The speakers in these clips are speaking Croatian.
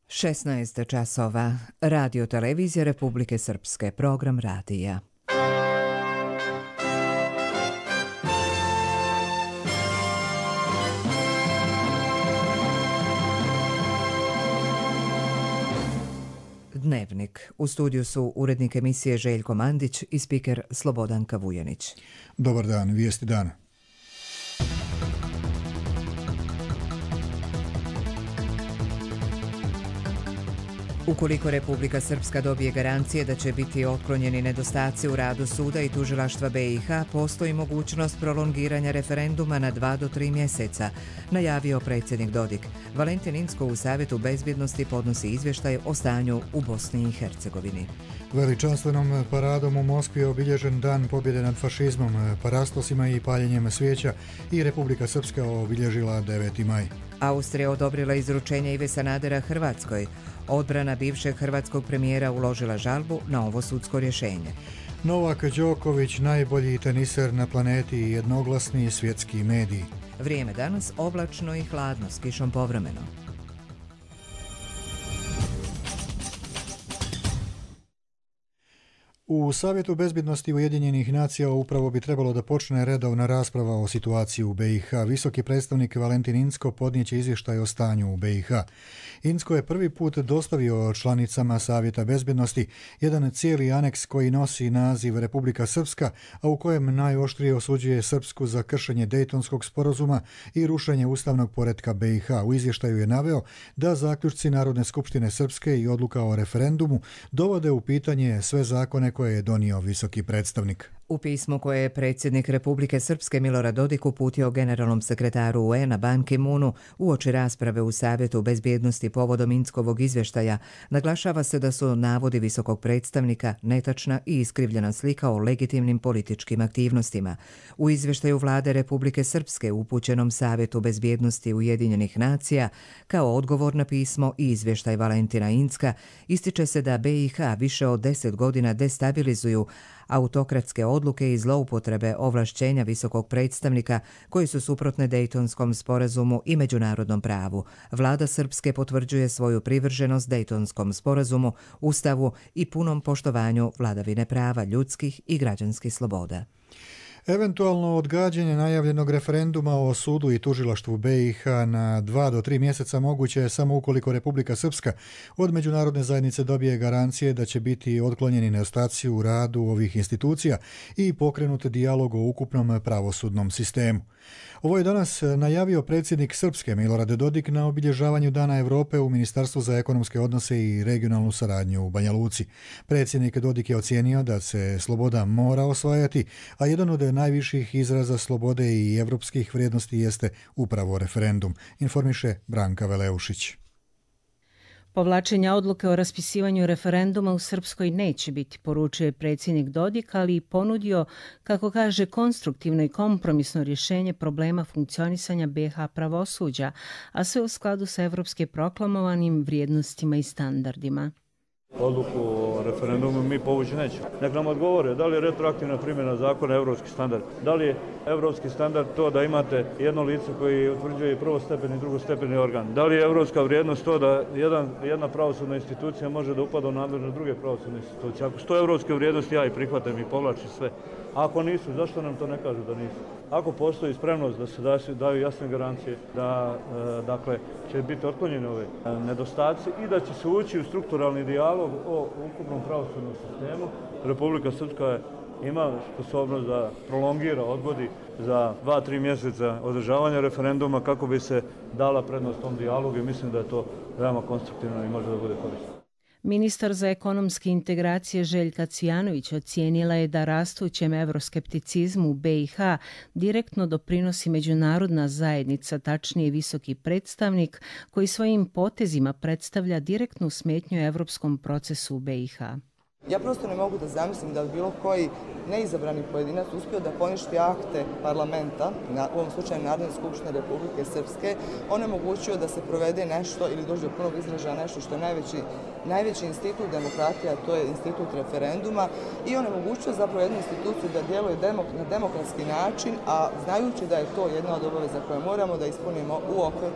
16 časova. Radio televizija Republike Srpske. Program radija. Dnevnik. U studiju su urednik emisije Željko Mandić i spiker Slobodanka Vujanić. Dobar dan, vijesti dana. Ukoliko Republika Srpska dobije garancije da će biti otklonjeni nedostaci u radu suda i tužilaštva BiH, postoji mogućnost prolongiranja referenduma na 2 do 3 mjeseca, najavio predsjednik Dodik. Valentin Incko u Savjetu bezbjednosti podnosi izvještaj o stanju u Bosni i Hercegovini. Veličanstvenom paradom u Moskvi je obilježen dan pobjede nad fašizmom, parastosima i paljenjem svijeća i Republika Srpska obilježila 9. maj. Austrija odobrila izručenje Ive Sanadera Hrvatskoj. Odbrana bivšeg hrvatskog premijera uložila žalbu na ovo sudsko rješenje. Novak Đoković, najbolji teniser na planeti i jednoglasni svjetski mediji. Vrijeme danas oblačno i hladno s kišom povremeno. U Savjetu bezbjednosti Ujedinjenih nacija upravo bi trebalo da počne redovna rasprava o situaciji u BiH. Visoki predstavnik Valentin Incko podnijeće izvještaj o stanju u BiH. Incko je prvi put dostavio članicama Savjeta bezbjednosti jedan cijeli aneks koji nosi naziv Republika Srpska, a u kojem najoštrije osuđuje Srpsku za kršenje Dejtonskog sporazuma i rušenje ustavnog poretka BiH. U izvještaju je naveo da zaključci Narodne skupštine Srpske i odluka o referendumu dovode u pitanje sve zakone koje je donio visoki predstavnik. U pismu koje je predsjednik Republike Srpske Milorad Dodik uputio generalnom sekretaru UN-a Ban Ki-moonu uoči rasprave u Savjetu bezbjednosti povodom Inckovog izvještaja, naglašava se da su navodi visokog predstavnika netačna i iskrivljena slika o legitimnim političkim aktivnostima. U izvještaju vlade Republike Srpske upućenom Savjetu bezbjednosti Ujedinjenih nacija, kao odgovor na pismo i izvještaj Valentina Incka, ističe se da BiH više od 10 godina destabilizuju autokratske odluke i zloupotrebe ovlašćenja visokog predstavnika koji su suprotne Dejtonskom sporazumu i međunarodnom pravu. Vlada Srpske potvrđuje svoju privrženost Dejtonskom sporazumu, ustavu i punom poštovanju vladavine prava, ljudskih i građanskih sloboda. Eventualno odgađanje najavljenog referenduma o sudu i tužilaštvu BiH na 2 do 3 mjeseca moguće je samo ukoliko Republika Srpska od međunarodne zajednice dobije garancije da će biti otklonjeni nedostaci u radu ovih institucija i pokrenut dijalog o ukupnom pravosudnom sistemu. Ovo je danas najavio predsjednik Srpske Milorad Dodik na obilježavanju Dana Europe u Ministarstvu za ekonomske odnose i regionalnu saradnju u Banja Luci. Predsjednik Dodik je ocijenio da se sloboda mora osvajati, a jedan od najviših izraza slobode i evropskih vrijednosti jeste upravo referendum, informiše Branka Veleušić. Povlačenja odluke o raspisivanju referenduma u Srpskoj neće biti, poručuje predsjednik Dodik, ali i ponudio, kako kaže, konstruktivno i kompromisno rješenje problema funkcionisanja BiH pravosuđa, a sve u skladu sa evropske proklamovanim vrijednostima i standardima. Odluku o referendumu mi povući nećemo. Nek nam odgovore da li je retroaktivna primjena zakona evropski standard. Da li je evropski standard to da imate jedno lice koji utvrđuje prvostepeni i drugostepeni organ. Da li je evropska vrijednost to da jedna pravosudna institucija može da upada u nadležnost druge pravosudne institucije. Ako su to evropske vrijednosti, ja ih prihvatam i povlačim sve. A ako nisu, zašto nam to ne kažu da nisu? Ako postoji spremnost da se daju jasne garancije da će biti otklonjeni ove nedostaci i da će se ući u strukturalni dijalog o ukupnom pravosudnom sistemu, Republika Srpska ima sposobnost da prolongira, odgodi za 2-3 mjeseca održavanja referenduma kako bi se dala prednost tom dijalogu i mislim da je to veoma konstruktivno i može da bude korisno. Ministar za ekonomske integracije Željka Cvijanović ocijenila je da rastućem evroskepticizmu u BiH direktno doprinosi međunarodna zajednica, tačnije visoki predstavnik, koji svojim potezima predstavlja direktnu smetnju evropskom procesu u BiH. Ja prosto ne mogu da zamislim da bilo koji neizabrani pojedinac uspio da poništi akte parlamenta, u ovom slučaju Narodne skupštine Republike Srpske, onemogućio da se provede nešto ili dođe do punog izražaja nešto što je najveći institut demokratije, a to je institut referenduma, i onemogućio zapravo jednu instituciju da djeluje na demokratski način, a znajući da je to jedna od obaveza koje moramo da ispunimo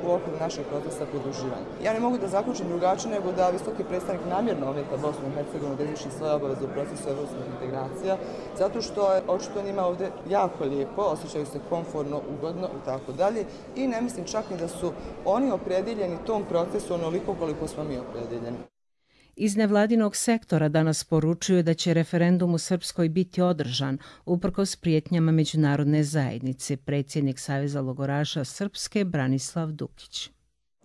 u okviru našeg procesa pridruživanja. Ja ne mogu da zaključim drugačije nego da visoki predstavnik namjerno ometa Bosnu i Hercegovinu da izvrši svoje obaveze u procesu evropskih integracija, zato što je očito njima ovdje jako lijepo, osjećaju se komfortno, ugodno i tako dalje, i ne mislim čak ni da su oni opredjeljeni tom procesu onoliko koliko smo mi opredjeljeni. Iz nevladinog sektora danas poručuju da će referendum u Srpskoj biti održan uprkos prijetnjama međunarodne zajednice, predsjednik Saveza logoraša Srpske Branislav Dukić.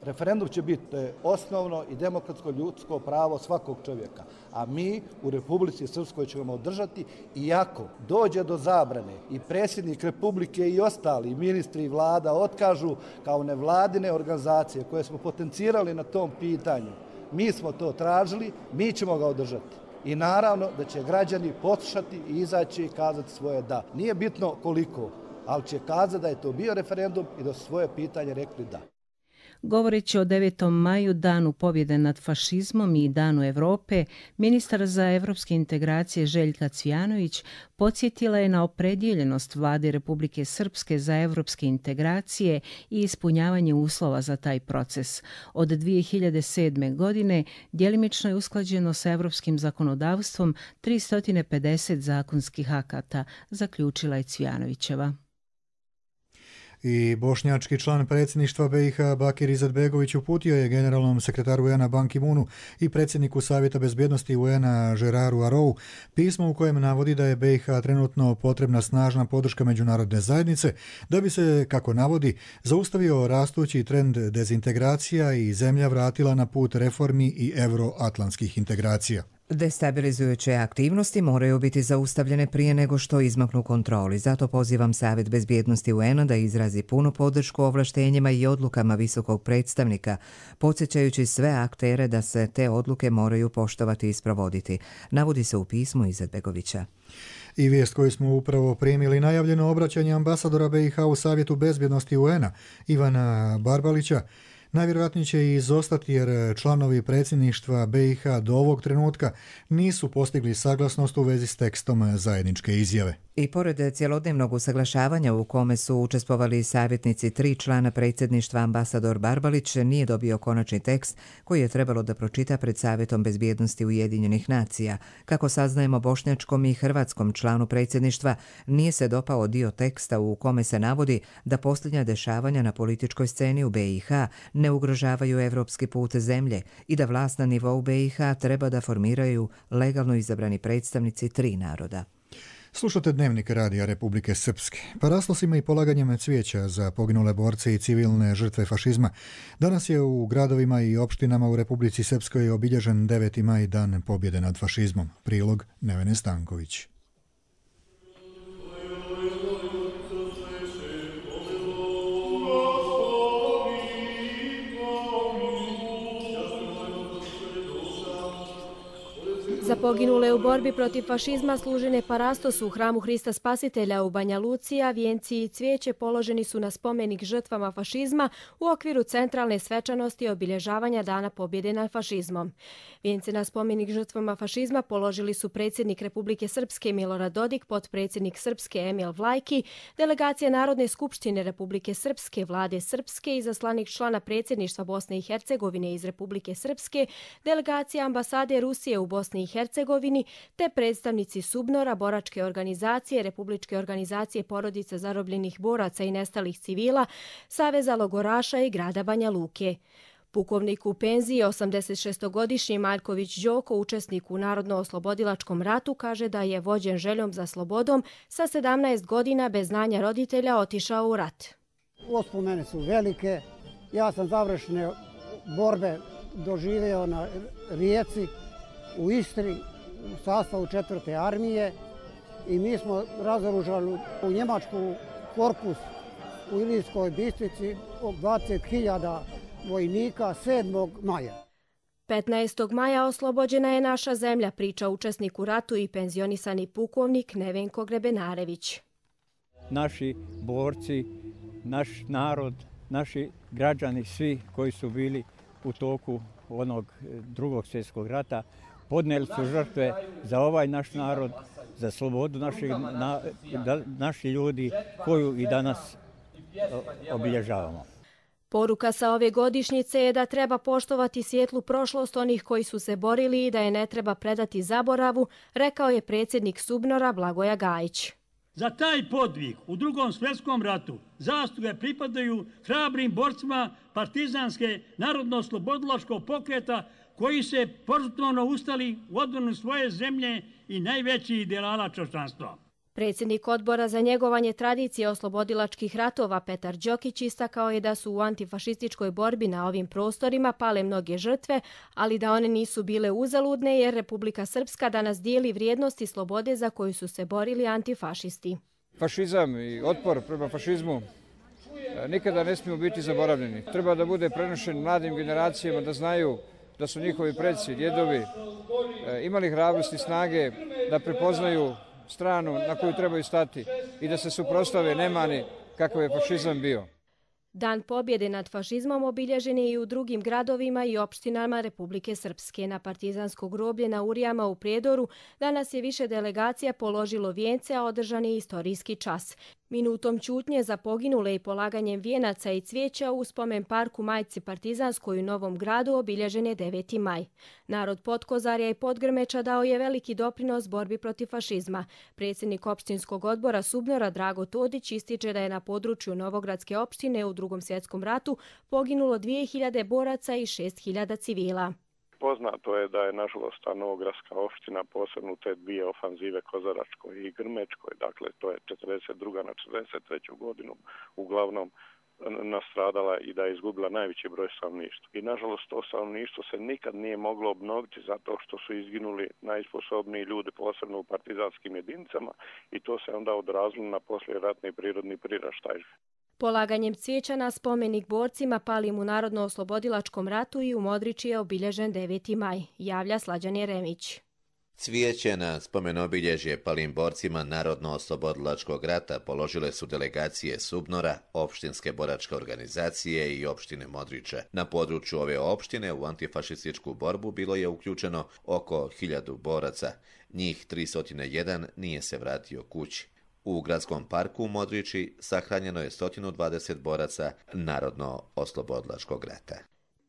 Referendum će biti osnovno i demokratsko ljudsko pravo svakog čovjeka, a mi u Republici Srpskoj ćemo održati, iako dođe do zabrane i predsjednik Republike i ostali ministri i vlada otkažu kao nevladine organizacije koje smo potencirali na tom pitanju. Mi smo to tražili, mi ćemo ga održati. I naravno da će građani poslušati i izaći i kazati svoje da. Nije bitno koliko, ali će kazati da je to bio referendum i da su svoje pitanje rekli da. Govoreći o 9. maju, danu pobjede nad fašizmom i danu Europe, ministar za evropske integracije Željka Cvijanović podsjetila je na opredjeljenost vlade Republike Srpske za evropske integracije i ispunjavanje uslova za taj proces. Od 2007. godine djelimično je usklađeno sa evropskim zakonodavstvom 350 zakonskih akata, zaključila je Cvijanovićeva. I bošnjački član predsjedništva BiH Bakir Izetbegović uputio je generalnom sekretaru UN-a Ban Ki-moonu i predsjedniku Savjeta bezbjednosti UN-a Geraru Arou pismo u kojem navodi da je BiH trenutno potrebna snažna podrška međunarodne zajednice da bi se, kako navodi, zaustavio rastući trend dezintegracija i zemlja vratila na put reformi i euroatlantskih integracija. Destabilizujuće aktivnosti moraju biti zaustavljene prije nego što izmaknu kontroli. Zato pozivam Savjet bezbjednosti UN-a da izrazi punu podršku ovlaštenjima i odlukama visokog predstavnika, podsjećajući sve aktere da se te odluke moraju poštovati i sprovoditi, navodi se u pismu Izetbegovića. I vijest koju smo upravo primili, najavljeno obraćanje ambasadora BiH u Savjetu bezbjednosti UN-a Ivana Barbalića najvjerojatnije će izostati jer članovi predsjedništva BiH do ovog trenutka nisu postigli saglasnost u vezi s tekstom zajedničke izjave. I pored cjelodnevnog usaglašavanja u kome su učestvovali savjetnici 3 člana predsjedništva, ambasador Barbalić nije dobio konačni tekst koji je trebalo da pročita pred Savjetom bezbjednosti Ujedinjenih nacija. Kako saznajemo, bošnjačkom i hrvatskom članu predsjedništva nije se dopao dio teksta u kome se navodi da posljednja dešavanja na političkoj sceni u BiH ne ugrožavaju evropski put zemlje i da vlast na nivou BiH treba da formiraju legalno izabrani predstavnici 3 naroda. Slušate Dnevnik Radija Republike Srpske. Paraslosima i polaganjem cvijeća za poginule borce i civilne žrtve fašizma danas je u gradovima i opštinama u Republici Srpskoj obilježen 9. maj, dan pobjede nad fašizmom. Prilog Nevene Stanković. Za poginule u borbi protiv fašizma služene parastosu u hramu Hrista Spasitelja u Banja Luci, a vijenci i cvijeće položeni su na spomenik žrtvama fašizma u okviru centralne svečanosti obilježavanja Dana pobjede nad fašizmom. Vijence na spomenik žrtvama fašizma položili su predsjednik Republike Srpske Milorad Dodik, potpredsjednik Srpske Emil Vlajki, delegacija Narodne skupštine Republike Srpske, Vlade Srpske, izaslanik člana predsjedništva Bosne i Hercegovine iz Republike Srpske, delegacija ambasade Rusije u Bosni i Hercegovini, te predstavnici SUBNOR-a, boračke organizacije, Republičke organizacije porodica zarobljenih boraca i nestalih civila, Saveza logoraša i grada Banja Luke. Pukovnik u penziji, 86-godišnji Maljković Đoko, učesnik u Narodno-oslobodilačkom ratu, kaže da je vođen željom za slobodom sa 17 godina bez znanja roditelja otišao u rat. Uspomene su velike. Ja sam završene borbe doživio na Rijeci, u Istri, u sastavu 4. armije, i mi smo razoružali u Njemačku korpus u Ilirskoj Bistrici 20.000 vojnika 7. maja. 15. maja oslobođena je naša zemlja, priča učesnik u ratu i penzionisani pukovnik Nevenko Grebenarević. Naši borci, naš narod, naši građani, svi koji su bili u toku onog Drugog svjetskog rata, podnijeli su žrtve za ovaj naš narod, za slobodu naših ljudi koju i danas obilježavamo. Poruka sa ove godišnjice je da treba poštovati svijetlu prošlost onih koji su se borili i da je ne treba predati zaboravu, rekao je predsjednik SUBNOR-a Blagoja Gajić. Za taj podvig u Drugom svjetskom ratu zasluge pripadaju hrabrim borcima partizanske narodno-oslobodilačkog pokreta koji se požrtvovno ustali u odbranu svoje zemlje i najvećih ideala čovječanstva. Predsjednik odbora za njegovanje tradicije oslobodilačkih ratova Petar Đokić istakao je da su u antifašističkoj borbi na ovim prostorima pale mnoge žrtve, ali da one nisu bile uzaludne jer Republika Srpska danas dijeli vrijednosti slobode za koju su se borili antifašisti. Fašizam i otpor prema fašizmu nikada ne smiju biti zaboravljeni. Treba da bude prenošen mladim generacijama da znaju da su njihovi preci, djedovi imali hrabrosti i snage da prepoznaju stranu na koju trebaju stati i da se suprotstave nemani kakav je fašizam bio. Dan pobjede nad fašizmom obilježen je i u drugim gradovima i opštinama Republike Srpske. Na partizansko groblje na Urijama u Prijedoru danas je više delegacija položilo vijence, a održan je istorijski čas. Minutom ćutnje za poginule i polaganjem vijenaca i cvijeća u spomen parku Majci Partizanskoj u Novom Gradu obilježen je 9. maj. Narod Potkozarja i Podgrmeča dao je veliki doprinos borbi protiv fašizma. Predsjednik opštinskog odbora SUBNOR-a Drago Todić ističe da je na području Novogradske opštine u Drugom svjetskom ratu poginulo 2000 boraca i 6000 civila. Poznato je da je nažalost ta Novogradska opština posebno te dvije ofanzive Kozaračkoj i Grmečkoj, dakle to je 42. na 43. godinu uglavnom nastradala i da je izgubila najveći broj stanovništva. I nažalost to stanovništvo se nikad nije moglo obnoviti zato što su izginuli najsposobniji ljudi posebno u partizanskim jedinicama i to se onda odrazilo na poslijeratni prirodni priraštaj. Polaganjem cvijeća na spomenik borcima palim u Narodno-oslobodilačkom ratu i u Modriči je obilježen 9. maj, javlja Slađan Jeremić. Cvijeće na spomen obilježje palim borcima Narodno-oslobodilačkog rata položile su delegacije SUBNOR-a, opštinske boračke organizacije i opštine Modriče. Na području ove opštine u antifašističku borbu bilo je uključeno oko 1000 boraca. Njih 301 nije se vratio kući. U gradskom parku u Modriči sahranjeno je 120 boraca Narodno-oslobodilačkog rata.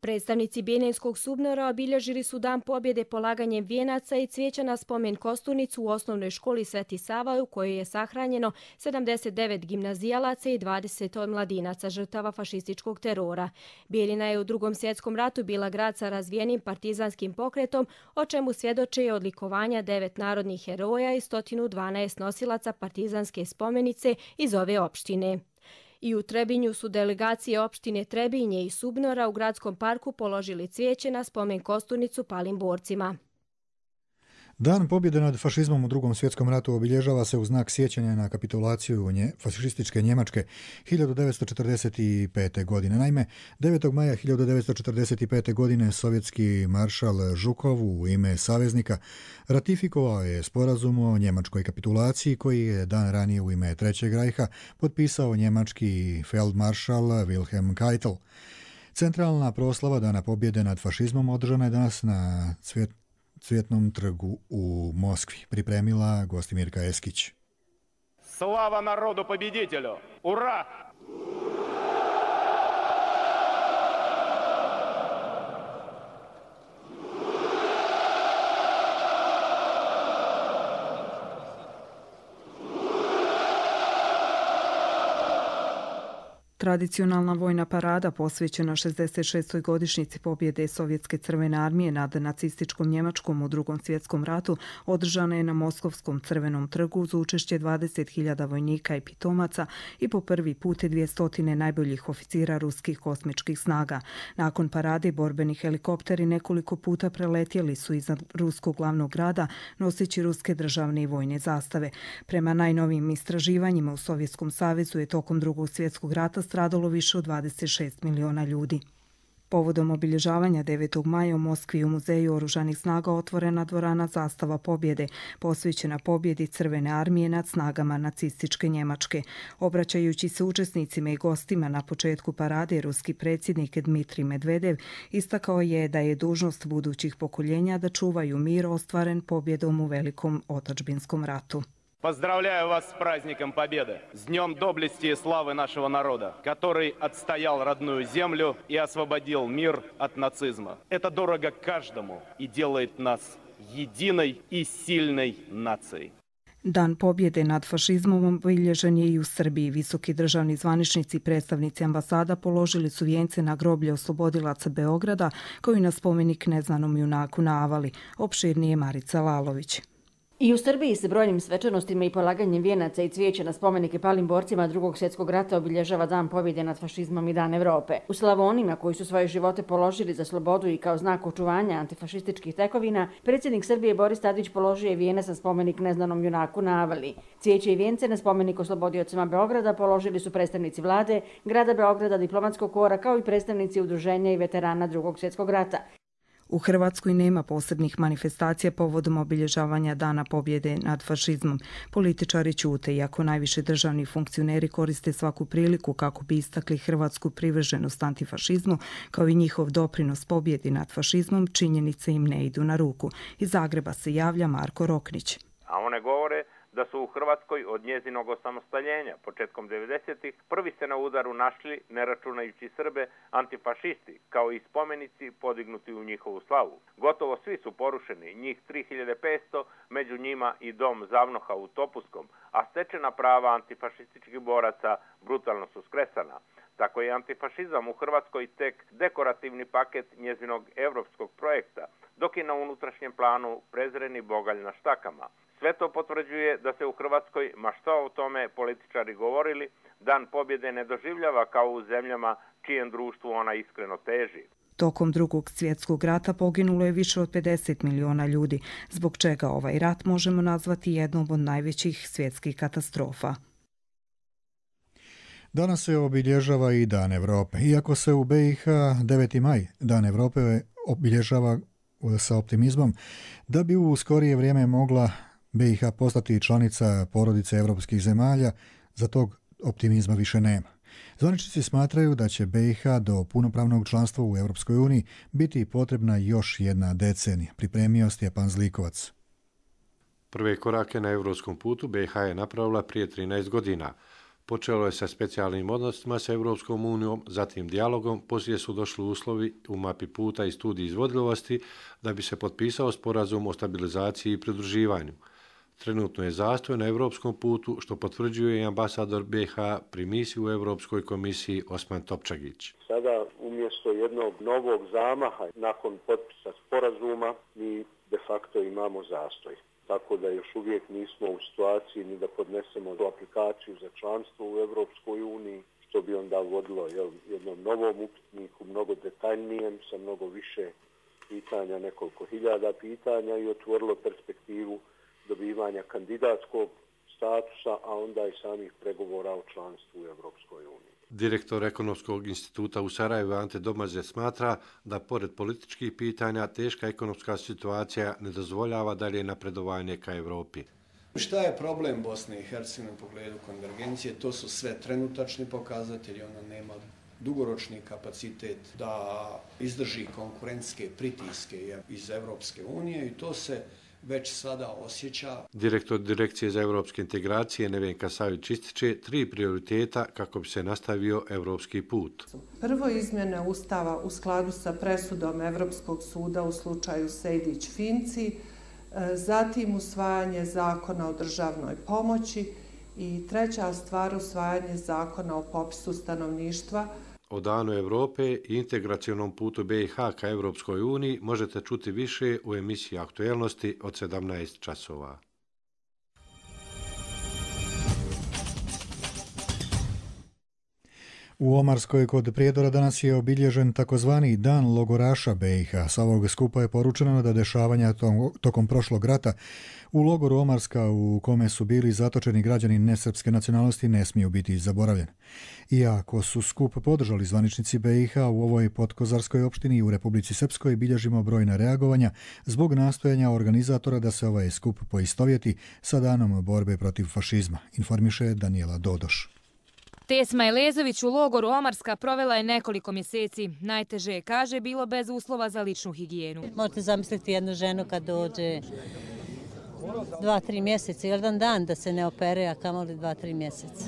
Predstavnici Bijeljinskog SUBNOR-a obilježili su dan pobjede polaganjem vijenaca i cvijeća na spomen kosturnicu u osnovnoj školi Sveti Sava u kojoj je sahranjeno 79 gimnazijalaca i 20 mladinaca žrtava fašističkog terora. Bijeljina je u Drugom svjetskom ratu bila grad sa razvijenim partizanskim pokretom, o čemu svjedoče i odlikovanja 9 narodnih heroja i 112 nosilaca partizanske spomenice iz ove opštine. I u Trebinju su delegacije opštine Trebinje i SUBNOR-a u gradskom parku položili cvijeće na spomen kosturnicu palim borcima. Dan pobjede nad fašizmom u Drugom svjetskom ratu obilježava se u znak sjećanja na kapitulaciju fašističke Njemačke 1945. godine. Naime, 9. maja 1945. godine sovjetski maršal Žukov u ime saveznika ratifikovao je sporazum o njemačkoj kapitulaciji koji je dan ranije u ime Trećeg rajha potpisao njemački feldmaršal Wilhelm Keitel. Centralna proslava Dana pobjede nad fašizmom održana je danas na Cvjetnom trgu u Moskvi. Pripremila Gostimirka Eskić. Slava narodu pobjeditelju! Ura! Tradicionalna vojna parada posvećena 66. godišnjici pobjede Sovjetske crvene armije nad nacističkom Njemačkom u Drugom svjetskom ratu održana je na Moskovskom crvenom trgu uz učešće 20.000 vojnika i pitomaca i po prvi put 200 najboljih oficira ruskih kosmičkih snaga. Nakon parade borbeni helikopteri nekoliko puta preletjeli su iznad ruskog glavnog grada noseći ruske državne i vojne zastave. Prema najnovijim istraživanjima u Sovjetskom savezu je tokom Drugog svjetskog rata stradalo više od 26 miliona ljudi. Povodom obilježavanja 9. maja u Moskvi u Muzeju oružanih snaga otvorena dvorana Zastava pobjede, posvećena pobjedi Crvene armije nad snagama nacističke Njemačke. Obraćajući se učesnicima i gostima na početku parade, ruski predsjednik Dmitrij Medvedev istakao je da je dužnost budućih pokoljenja da čuvaju mir ostvaren pobjedom u Velikom otadžbinskom ratu. Поздравляю вас с праздником Победы, с Днем доблести и славы нашего народа, который отстоял родную землю и освободил мир от нацизма. Это дорого каждому и делает нас единой и сильной нацией. Dan pobjede nad fašizmom obilježen je i u Srbiji. Visoki državni zvaničnici i predstavnici ambasada položili su vijence na groblje oslobodilaca Beograda, kao i na spomenik neznanom junaku na Avali. Opširnije Marica Lalović. I u Srbiji se brojnim svečanostima i polaganjem vijenaca i cvijeća na spomenike palim borcima Drugog svjetskog rata obilježava Dan pobjede nad fašizmom i Dan Evrope. U Slavonima, koji su svoje živote položili za slobodu i kao znak očuvanja antifašističkih tekovina, predsjednik Srbije Boris Tadić položio je vijenac na spomenik neznanom junaku na Avali. Cvijeće i vijence na spomenik oslobodiocima Beograda položili su predstavnici vlade, grada Beograda, diplomatskog kora, kao i predstavnici udruženja i veterana Drugog svjetskog rata. U Hrvatskoj nema posebnih manifestacija povodom obilježavanja Dana pobjede nad fašizmom. Političari ćute, iako najviše državni funkcioneri koriste svaku priliku kako bi istakli hrvatsku privrženost antifašizmu, kao i njihov doprinos pobjedi nad fašizmom, činjenice im ne idu na ruku. Iz Zagreba se javlja Marko Roknić. A one govore da su u Hrvatskoj od njezinog osamostaljenja početkom 90-ih prvi se na udaru našli, ne računajući Srbe, antifašisti, kao i spomenici podignuti u njihovu slavu. Gotovo svi su porušeni, njih 3500, među njima i dom Zavnoha u Topuskom, a stečena prava antifašističkih boraca brutalno su skresana. Tako je antifašizam u Hrvatskoj tek dekorativni paket njezinog evropskog projekta, dok je na unutrašnjem planu prezreni bogalj na štakama. Sve to potvrđuje da se u Hrvatskoj, ma što o tome političari govorili, Dan pobjede ne doživljava kao u zemljama čijem društvu ona iskreno teži. Tokom Drugog svjetskog rata poginulo je više od 50 miliona ljudi, zbog čega ovaj rat možemo nazvati jednom od najvećih svjetskih katastrofa. Danas se obilježava i Dan Evrope. Iako se u BiH 9. maj, Dan Evrope, obilježava sa optimizmom, da bi u skorije vrijeme mogla BiH postati članica porodice evropskih zemalja, za tog optimizma više nema. Zvaničnici smatraju da će BiH do punopravnog članstva u Europskoj uniji biti potrebna još jedna decenija, pripremio Stjepan Zlikovac. Prve korake na europskom putu BiH je napravila prije 13 godina. Počelo je sa specijalnim odnosima sa Europskom unijom, zatim dijalogom, poslije su došli uslovi u mapi puta i studiji izvodljivosti da bi se potpisao sporazum o stabilizaciji i pridruživanju. Trenutno je zastoj na europskom putu, što potvrđuje i ambasador BiH pri misiji u Europskoj komisiji Osman Topčagić. Sada umjesto jednog novog zamaha nakon potpisa sporazuma mi de facto imamo zastoj. Tako da još uvijek nismo u situaciji ni da podnesemo aplikaciju za članstvo u Europskoj uniji, što bi onda vodilo jednom novom upitniku, mnogo detaljnijem, sa mnogo više pitanja, nekoliko hiljada pitanja i otvorilo perspektivu dobivanja kandidatskog statusa, a onda i samih pregovora o članstvu u Europskoj uniji. Direktor Ekonomskog instituta u Sarajevu Ante Domaze smatra da pored političkih pitanja teška ekonomska situacija ne dozvoljava dalje napredovanje ka Evropi. Šta je problem Bosne i Hercegovine u pogledu konvergencije? To su sve trenutačni pokazatelji, ona nema dugoročni kapacitet da izdrži konkurentske pritiske iz Evropske unije i to se već sada osjeća. Direktor Direkcije za evropske integracije Nevenka Savić ističe 3 prioriteta kako bi se nastavio evropski put. Prvo, izmjene Ustava u skladu sa presudom Evropskog suda u slučaju Sejdić-Finci, zatim usvajanje zakona o državnoj pomoći i treća stvar, usvajanje zakona o popisu stanovništva. O Danu Evrope i integracionom putu BiH ka Evropskoj uniji možete čuti više u emisiji Aktuelnosti od 17 časova. U Omarskoj kod Prijedora danas je obilježen takozvani Dan logoraša BiH. Sa ovog skupa je poručeno da dešavanja tokom prošlog rata u logoru Omarska u kome su bili zatočeni građani nesrpske nacionalnosti ne smiju biti zaboravljeni. Iako su skup podržali zvaničnici BiH, u ovoj podkozarskoj opštini i u Republici Srpskoj bilježimo brojna reagovanja zbog nastojanja organizatora da se ovaj skup poistovjeti sa danom borbe protiv fašizma, informiše Danijela Dodoš. Tesma Elezović u logoru Omarska provela je nekoliko mjeseci. Najteže je, kaže, bilo bez uslova za ličnu higijenu. Možete zamisliti jednu ženu kad dođe 2-3 mjeseca, jedan dan da se ne opere, a kamoli 2-3 mjeseca.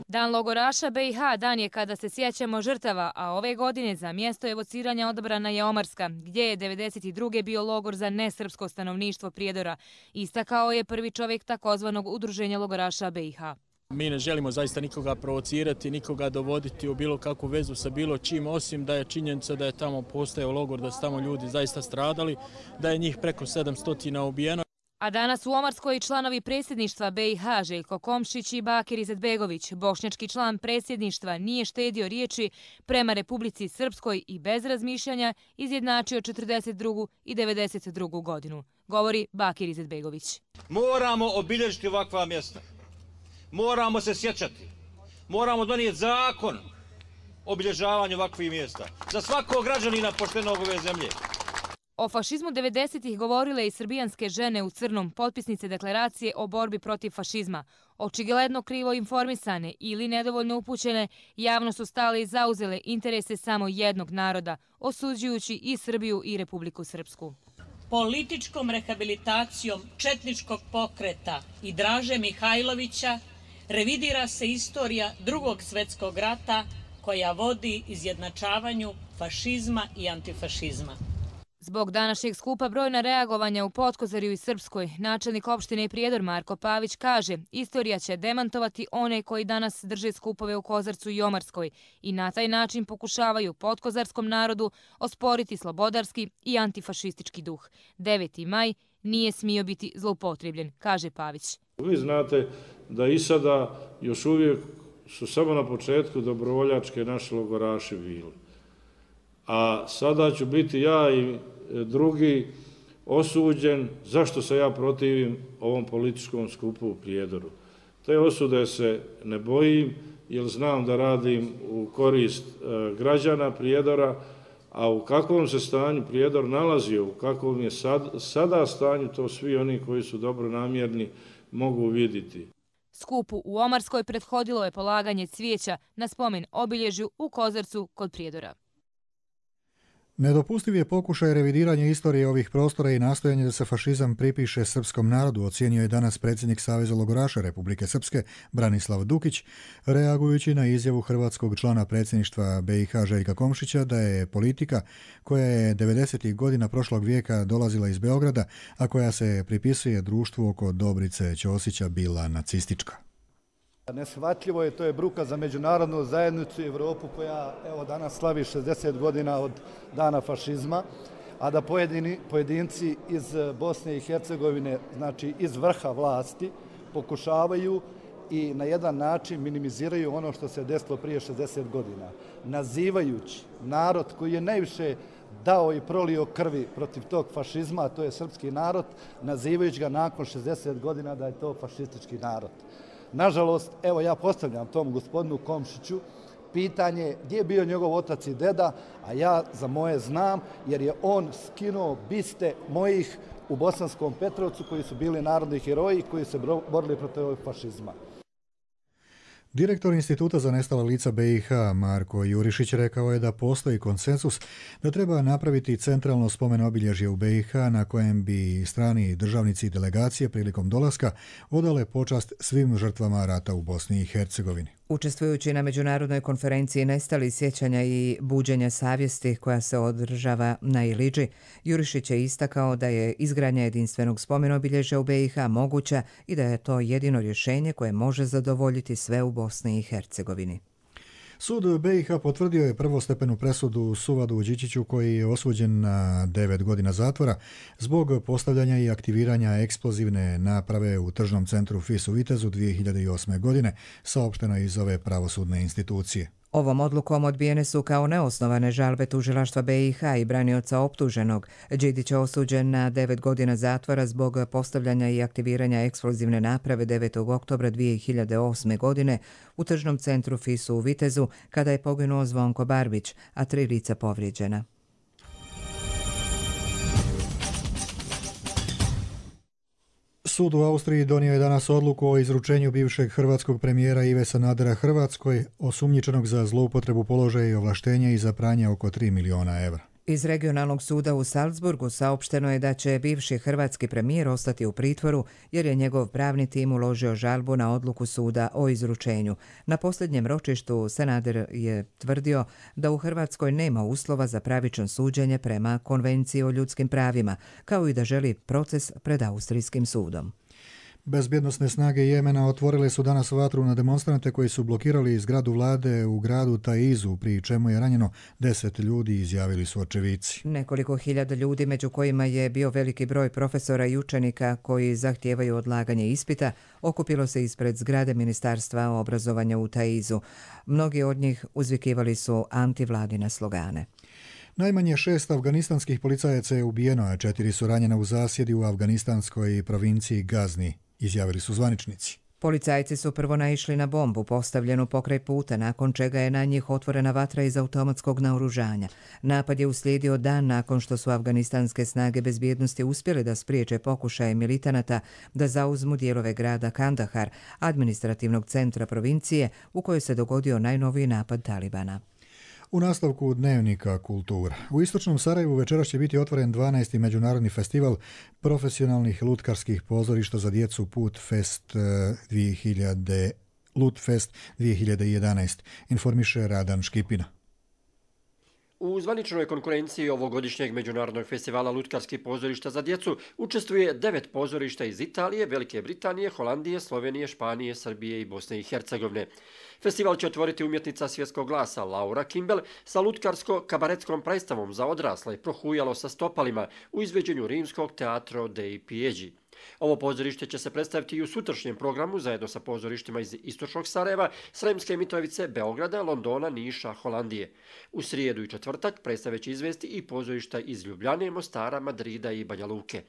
Dan logoraša BiH dan je kada se sjećamo žrtava, a ove godine za mjesto evociranja odabrana je Omarska, gdje je 1992. bio logor za nesrpsko stanovništvo Prijedora. Istakao je prvi čovjek takozvanog udruženja logoraša BiH. Mi ne želimo zaista nikoga provocirati, nikoga dovoditi u bilo kakvu vezu sa bilo čim, osim da je činjenica da je tamo postojao logor, da su tamo ljudi zaista stradali, da je njih preko 700 ubijeno. A danas u Omarskoj članovi predsjedništva BiH Željko Komšić i Bakir Izetbegović, bošnjački član predsjedništva, nije štedio riječi prema Republici Srpskoj i bez razmišljanja izjednačio 42. i 92. godinu, govori Bakir Izetbegović. Moramo obilježiti ovakva mjesta. Moramo se sjećati. Moramo donijeti zakon o obilježavanju ovakvih mjesta za svakog građanina poštenog ove zemlje. O fašizmu 90-ih govorile i srbijanske žene u crnom, potpisnice deklaracije o borbi protiv fašizma. Očigledno krivo informisane ili nedovoljno upućene, javno su stale i zauzele interese samo jednog naroda, osuđujući i Srbiju i Republiku Srpsku. Političkom rehabilitacijom četničkog pokreta i Draže Mihajlovića revidira se istorija Drugog svjetskog rata koja vodi izjednačavanju fašizma i antifašizma. Zbog današnjeg skupa brojna reagovanja u Potkozarju i Srpskoj, načelnik opštine Prijedor Marko Pavić kaže, istorija će demantovati one koji danas drže skupove u Kozarcu i Omarskoj i na taj način pokušavaju potkozarskom narodu osporiti slobodarski i antifašistički duh. 9. maj nije smio biti zloupotrebljen, kaže Pavić. Vi znate da i sada još uvijek su samo na početku dobrovoljačke naše logoraši bili. A sada ću biti ja i drugi osuđen zašto se ja protivim ovom političkom skupu u Prijedoru. Te osude se ne bojim jer znam da radim u korist građana Prijedora, a u kakvom se stanju Prijedor nalazio, u kakvom je sada stanju, to svi oni koji su dobronamjerni mogu vidjeti. Skupu u Omarskoj prethodilo je polaganje cvijeća na spomen obilježju u Kozarcu kod Prijedora. Nedopustiv je pokušaj revidiranja istorije ovih prostora i nastojanje da se fašizam pripiše srpskom narodu, ocijenio je danas predsjednik Saveza logoraša Republike Srpske Branislav Dukić, reagujući na izjavu hrvatskog člana predsjedništva BiH Željka Komšića da je politika koja je 90. godina prošlog vijeka dolazila iz Beograda, a koja se pripisuje društvu oko Dobrice Ćosića bila nacistička. Neshvatljivo je, to je bruka za međunarodnu zajednicu i Evropu koja evo danas slavi 60 godina od dana fašizma, a da pojedinci iz Bosne i Hercegovine, znači iz vrha vlasti, pokušavaju i na jedan način minimiziraju ono što se desilo prije 60 godina, nazivajući narod koji je najviše dao i prolio krvi protiv tog fašizma, a to je srpski narod, nazivajući ga nakon 60 godina da je to fašistički narod. Nažalost, evo ja postavljam tom gospodinu Komšiću pitanje gdje je bio njegov otac i deda, a ja za moje znam jer je on skinuo biste mojih u Bosanskom Petrovcu koji su bili narodni heroji koji se borili protiv ovog fašizma. Direktor Instituta za nestala lica BiH Marko Jurišić rekao je da postoji konsensus da treba napraviti centralno spomen obilježje u BiH na kojem bi strani državnici i delegacije prilikom dolaska odale počast svim žrtvama rata u Bosni i Hercegovini. Učestvujući na međunarodnoj konferenciji Nestali sjećanja i buđenja savjesti koja se održava na Iliđi, Jurišić je istakao da je izgradnja jedinstvenog spomenobilježja u BiH moguća i da je to jedino rješenje koje može zadovoljiti sve u Bosni i Hercegovini. Sud BiH potvrdio je prvostepenu presudu Suvadu Đičiću koji je osuđen na 9 godina zatvora zbog postavljanja i aktiviranja eksplozivne naprave u tržnom centru FIS u Vitezu 2008. godine, saopšteno iz ove pravosudne institucije. Ovom odlukom odbijene su kao neosnovane žalbe tužilaštva BiH i branioca optuženog. Đidić je osuđen na 9 godina zatvora zbog postavljanja i aktiviranja eksplozivne naprave 9. oktobra 2008. godine u tržnom centru FIS-u u Vitezu kada je poginuo Zvonko Barbić, a 3 lica povrijeđena. Sud u Austriji donio je danas odluku o izručenju bivšeg hrvatskog premijera Ive Sanadera Hrvatskoj, osumnjičenog za zloupotrebu položaja i ovlaštenja i za pranje oko 3 miliona evra. Iz regionalnog suda u Salzburgu saopšteno je da će bivši hrvatski premijer ostati u pritvoru jer je njegov pravni tim uložio žalbu na odluku suda o izručenju. Na posljednjem ročištu Sanader je tvrdio da u Hrvatskoj nema uslova za pravično suđenje prema Konvenciji o ljudskim pravima, kao i da želi proces pred Austrijskim sudom. Bezbjednosne snage Jemena otvorile su danas vatru na demonstrante koji su blokirali zgradu vlade u gradu Taizu, pri čemu je ranjeno 10 ljudi, izjavili su očevici. Nekoliko hiljada ljudi, među kojima je bio veliki broj profesora i učenika koji zahtijevaju odlaganje ispita, okupilo se ispred zgrade Ministarstva obrazovanja u Taizu. Mnogi od njih uzvikivali su antivladine slogane. Najmanje 6 afganistanskih policajaca je ubijeno, a 4 su ranjena u zasjedi u afganistanskoj provinciji Gazni, izjavili su zvaničnici. Policajci su prvo naišli na bombu postavljenu pokraj puta, nakon čega je na njih otvorena vatra iz automatskog naoružanja. Napad je uslijedio dan nakon što su afganistanske snage bezbjednosti uspjele da spriječe pokušaje militanata da zauzmu dijelove grada Kandahar, administrativnog centra provincije u kojoj se dogodio najnoviji napad Talibana. U nastavku dnevnika kultura. U istočnom Sarajevu večeras će biti otvoren 12. međunarodni festival profesionalnih lutkarskih pozorišta za djecu Lutfest 2011, informiše Radan Škipina. U zvaničnoj konkurenciji ovogodišnjeg međunarodnog festivala lutkarskih pozorišta za djecu učestvuje 9 pozorišta iz Italije, Velike Britanije, Holandije, Slovenije, Španije, Srbije i Bosne i Hercegovine. Festival će otvoriti umjetnica svjetskog glasa Laura Kimball sa lutkarsko-kabaretskom predstavom za odrasle Prohujalo sa stopalima u izveđenju rimskog Teatro dei Pieggi. Ovo pozorište će se predstaviti i u sutrašnjem programu zajedno sa pozorištima iz istočnog Sarajeva, Sremske Mitrovice, Beograda, Londona, Niša, Holandije. U srijedu i četvrtak predstave će izvesti i pozorišta iz Ljubljane, Mostara, Madrida i Banja Luke.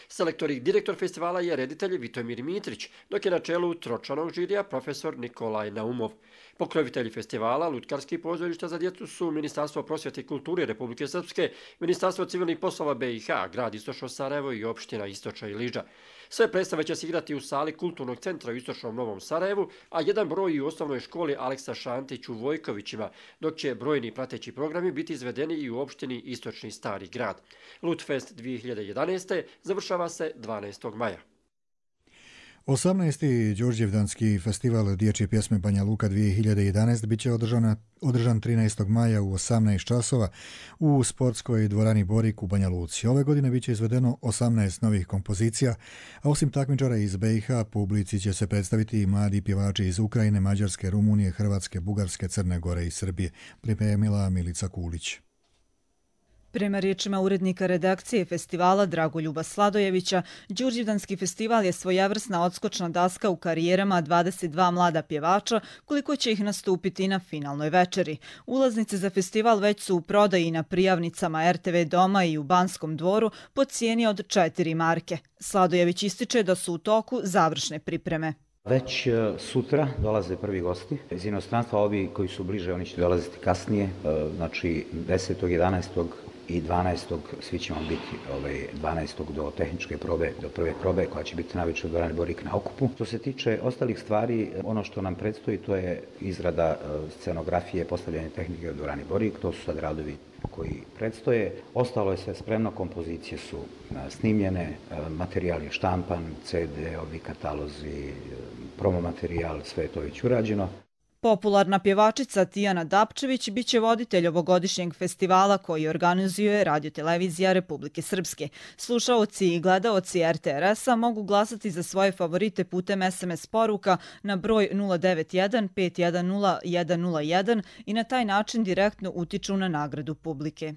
Selektor i direktor festivala je reditelj Vitomir Mitrić, dok je na čelu tročlanog žirija profesor Nikolaj Naumov. Pokrovitelji festivala lutkarskih pozorišta za djecu su Ministarstvo prosvjete i kulture Republike Srpske, Ministarstvo civilnih poslova BiH, grad Istočno Sarajevo i opština Istočna Iliđa. Sve predstave će se igrati u sali Kulturnog centra u Istočnom Novom Sarajevu, a jedan broj i u osnovnoj školi Aleksa Šantić u Vojkovićima, dok će brojni prateći programi biti izvedeni i u opštini Istočni Stari grad. Lutfest 2011. završava se 12. maja. 18. Đurđevdanski festival dječje pjesme Banja Luka 2011 bit će održan 13. maja u 18 časova u sportskoj dvorani Borik u Banja Luci. Ove godine bit će izvedeno 18 novih kompozicija, a osim takmičara iz BiH, publici će se predstaviti i mladi pjevači iz Ukrajine, Mađarske, Rumunije, Hrvatske, Bugarske, Crne Gore i Srbije, pripremila Milica Kulić. Prema riječima urednika redakcije festivala Dragoljuba Sladojevića, Đurđevdanski festival je svojevrsna odskočna daska u karijerama 22 mlada pjevača, koliko će ih nastupiti na finalnoj večeri. Ulaznice za festival već su u prodaji na prijavnicama RTV Doma i u Banskom dvoru po cijeni od 4 marke. Sladojević ističe da su u toku završne pripreme. Već sutra dolaze prvi gosti iz inostranstva, ovi koji su bliže, oni će dolaziti kasnije, znači 10. 11. i 12. svi ćemo biti 12. do tehničke probe, do prve probe koja će biti najveća u dvorani Borik na okupu. Što se tiče ostalih stvari, ono što nam predstoji to je izrada scenografije, postavljanje tehnike u dvorani Borik, to su sad radovi koji predstoje. Ostalo je sve spremno, kompozicije su snimljene, materijal je štampan, CD-ovi, katalozi, promo materijal, sve je to već urađeno. Popularna pjevačica Tijana Dapčević biće voditelj ovogodišnjeg festivala koji organizuje Radiotelevizija Republike Srpske. Slušaoci i gledaoci RTRS-a mogu glasati za svoje favorite putem SMS poruka na broj 091 510 101 i na taj način direktno utiču na nagradu publike.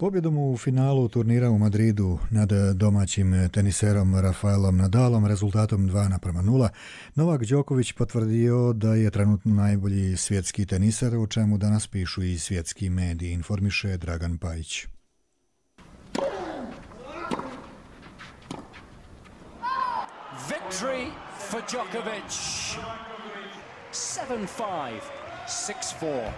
Pobjedom u finalu turnira u Madridu nad domaćim teniserom Rafaelom Nadalom rezultatom 2:0, Novak Đoković potvrdio da je trenutno najbolji svjetski teniser, o čemu danas pišu i svjetski mediji, informiše Dragan Pajić. Victory for Djokovic. 7-5, 6-4.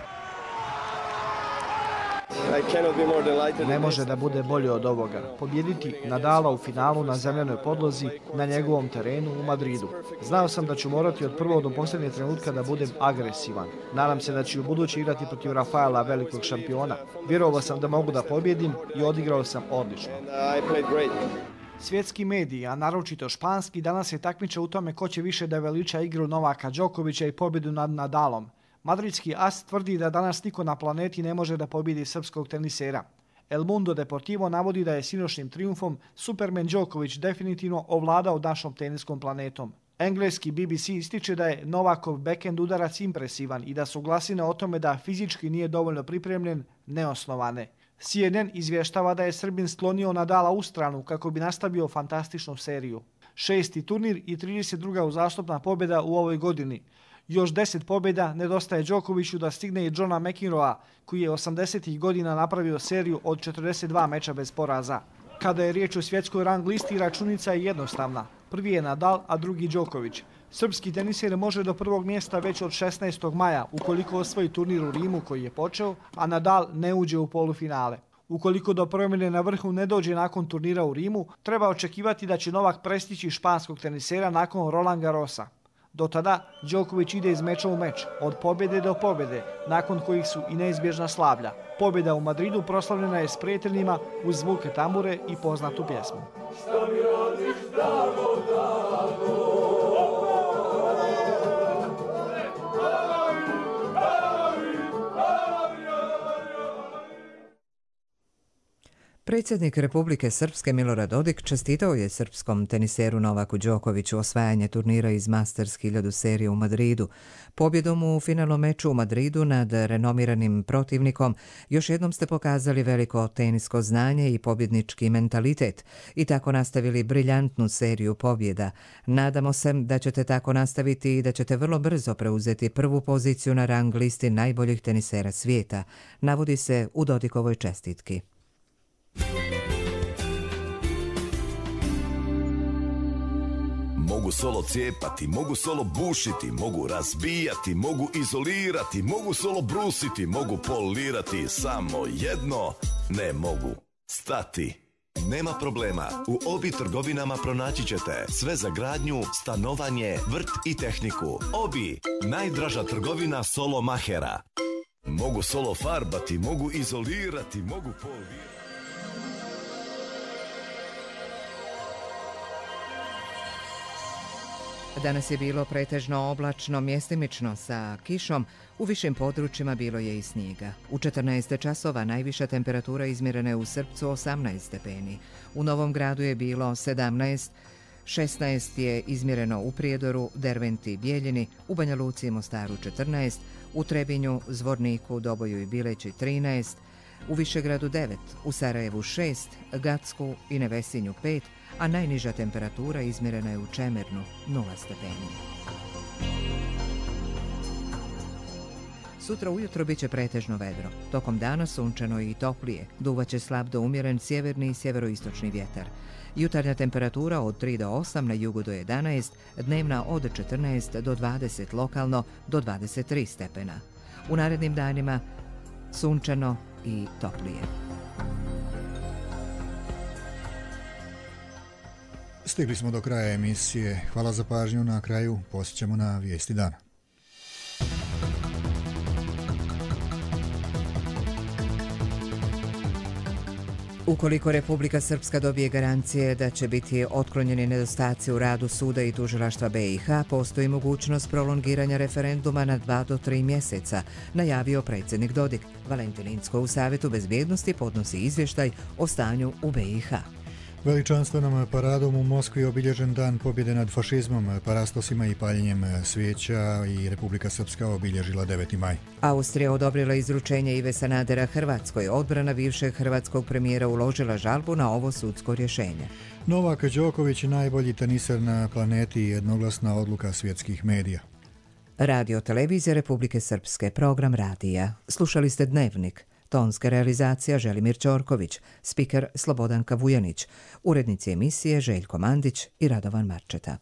Ne može da bude bolje od ovoga. Pobjediti Nadala u finalu na zemljanoj podlozi na njegovom terenu u Madridu. Znao sam da ću morati od prvog do posljednjeg trenutka da budem agresivan. Nadam se da ću u budući igrati protiv Rafaela, velikog šampiona. Vjerovao sam da mogu da pobjedim i odigrao sam odlično. Svjetski mediji, a naročito španski, danas se takmiče u tome ko će više da veliča igru Novaka Đokovića i pobjedu nad Nadalom. Madridski as tvrdi da danas niko na planeti ne može da pobjedi srpskog tenisera. El Mundo Deportivo navodi da je sinoćnim trijumfom Superman Đoković definitivno ovladao našom teniskom planetom. Engleski BBC ističe da je Novakov backhand udarac impresivan i da su glasine o tome da fizički nije dovoljno pripremljen neosnovane. CNN izvještava da je Srbin sklonio Nadala u stranu kako bi nastavio fantastičnu seriju. 6. turnir i 32. uzastopna pobjeda u ovoj godini. Još 10 pobjeda nedostaje Đokoviću da stigne i Johna McEnroea, koji je 80. godina napravio seriju od 42 meča bez poraza. Kada je riječ o svjetskoj rang listi, računica je jednostavna. Prvi je Nadal, a drugi Đoković. Srpski teniser može do prvog mjesta već od 16. maja, ukoliko osvoji turnir u Rimu koji je počeo, a Nadal ne uđe u polufinale. Ukoliko do promjene na vrhu ne dođe nakon turnira u Rimu, treba očekivati da će Novak prestići španskog tenisera nakon Roland Garrosa. Do tada Đoković ide iz meča u meč, od pobjede do pobjede, nakon kojih su i neizbježna slavlja. Pobjeda u Madridu proslavljena je s prijateljima uz zvuke tambure i poznatu pjesmu. Šta mi radiš, Drago, Drago? Predsjednik Republike Srpske Milorad Dodik čestitao je srpskom teniseru Novaku Đokoviću osvajanje turnira iz Masters 1000 serije u Madridu. Pobjedom u finalnom meču u Madridu nad renomiranim protivnikom još jednom ste pokazali veliko tenisko znanje i pobjednički mentalitet i tako nastavili briljantnu seriju pobjeda. Nadamo se da ćete tako nastaviti i da ćete vrlo brzo preuzeti prvu poziciju na rang listi najboljih tenisera svijeta, navodi se u Dodikovoj čestitki. Mogu solo cijepati, mogu solo bušiti, mogu razbijati, mogu izolirati, mogu solo brusiti, mogu polirati, samo jedno ne mogu stati. Nema problema, u Obi trgovinama pronaći ćete sve za gradnju, stanovanje, vrt i tehniku. Obi, najdraža trgovina solo mahera. Mogu solo farbati, mogu izolirati, mogu polirati. Danas je bilo pretežno oblačno, mjestimično sa kišom, u višim područjima bilo je i snijega. U 14 časova najviša temperatura izmjerena je u Srpcu 18 stepeni. U Novom Gradu je bilo 17, 16 je izmjereno u Prijedoru, Derventi, Bijeljini, u Banja Luci i Mostaru 14, u Trebinju, Zvorniku, Doboju i Bileći 13, u Višegradu 9, u Sarajevu 6, Gacku i Nevesinju 5, a najniža temperatura izmjerena je u Čemernu 0 stepeni. Sutra ujutro biće pretežno vedro. Tokom dana sunčano i toplije. Duvaće slab do umjeren sjeverni i sjeveroistočni vjetar. Jutarnja temperatura od 3 do 8, na jugu do 11, dnevna od 14 do 20, lokalno do 23 stepena. U narednim danima sunčano i toplije. Stigli smo do kraja emisije. Hvala za pažnju. Na kraju posjećamo na vijesti dana. Ukoliko Republika Srpska dobije garancije da će biti otklonjeni nedostaci u radu suda i tužilaštva BiH, postoji mogućnost prolongiranja referenduma na 2 do 3 mjeseca, najavio predsjednik Dodik. Valentin Incko u Savjetu bezbjednosti podnosi izvještaj o stanju u BiH. Veličanstvenom paradom u Moskvi obilježen dan pobjede nad fašizmom, parastosima i paljenjem svijeća i Republika Srpska obilježila 9. maj. Austrija odobrila izručenje Ive Sanadera Hrvatskoj. Odbrana bivšeg hrvatskog premijera uložila žalbu na ovo sudsko rješenje. Novak Đoković, najbolji teniser na planeti, jednoglasna odluka svjetskih medija. Radio Televizija Republike Srpske, program radija. Slušali ste Dnevnik. Tonska realizacija Želimir Ćorković, spiker Slobodanka Vujanić, urednici emisije Željko Mandić i Radovan Marčeta.